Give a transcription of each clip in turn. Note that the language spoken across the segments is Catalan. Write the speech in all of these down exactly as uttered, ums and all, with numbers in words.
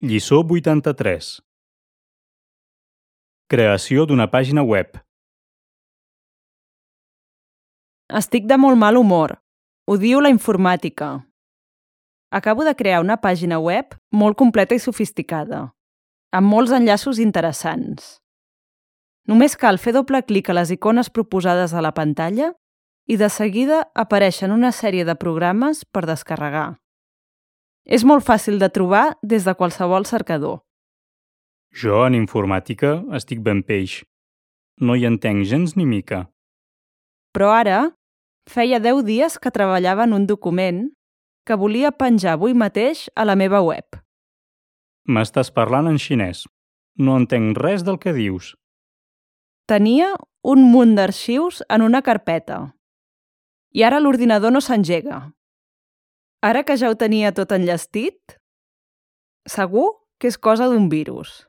Lliçó vuitanta-tres. Creació d'una pàgina web. Estic de molt mal humor. Odio la informàtica. Acabo de crear una pàgina web molt completa i sofisticada, amb molts enllaços interessants. Només cal fer doble clic a les icones proposades a la pantalla i de seguida apareixen una sèrie de programes per descarregar. És molt fàcil de trobar des de qualsevol cercador. Jo, en informàtica, estic ben peix. No hi entenc gens ni mica. Però ara, feia deu dies que treballava en un document que volia penjar avui mateix a la meva web. M'estàs parlant en xinès. No entenc res del que dius. Tenia un munt d'arxius en una carpeta. I ara l'ordinador no s'engega. Ara que ja ho tenia tot enllestit, segur que és cosa d'un virus.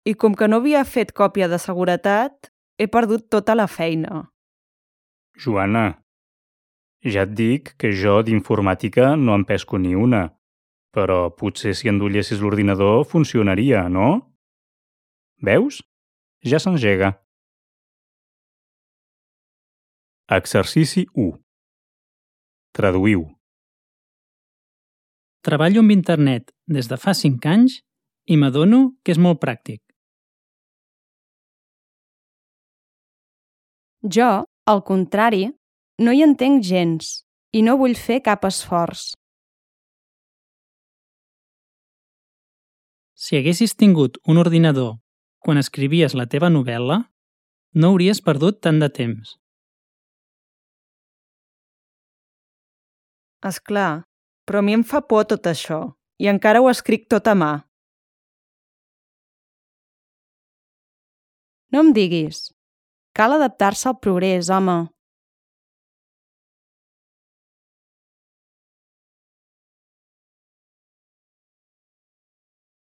I com que no havia fet còpia de seguretat, he perdut tota la feina. Joana, ja et dic que jo d'informàtica no en pesco ni una, però potser si endollessis l'ordinador funcionaria, no? Veus? Ja s'engega. Exercici u. Traduïu. Treballo amb internet des de fa cinc anys i m'adono que és molt pràctic. Jo, al contrari, no hi entenc gens i no vull fer cap esforç. Si haguessis tingut un ordinador quan escrivies la teva novel·la, no hauries perdut tant de temps. És clar, però a mi em fa por tot això i encara ho escric tot a mà. No em diguis. Cal adaptar-se al progrés, home.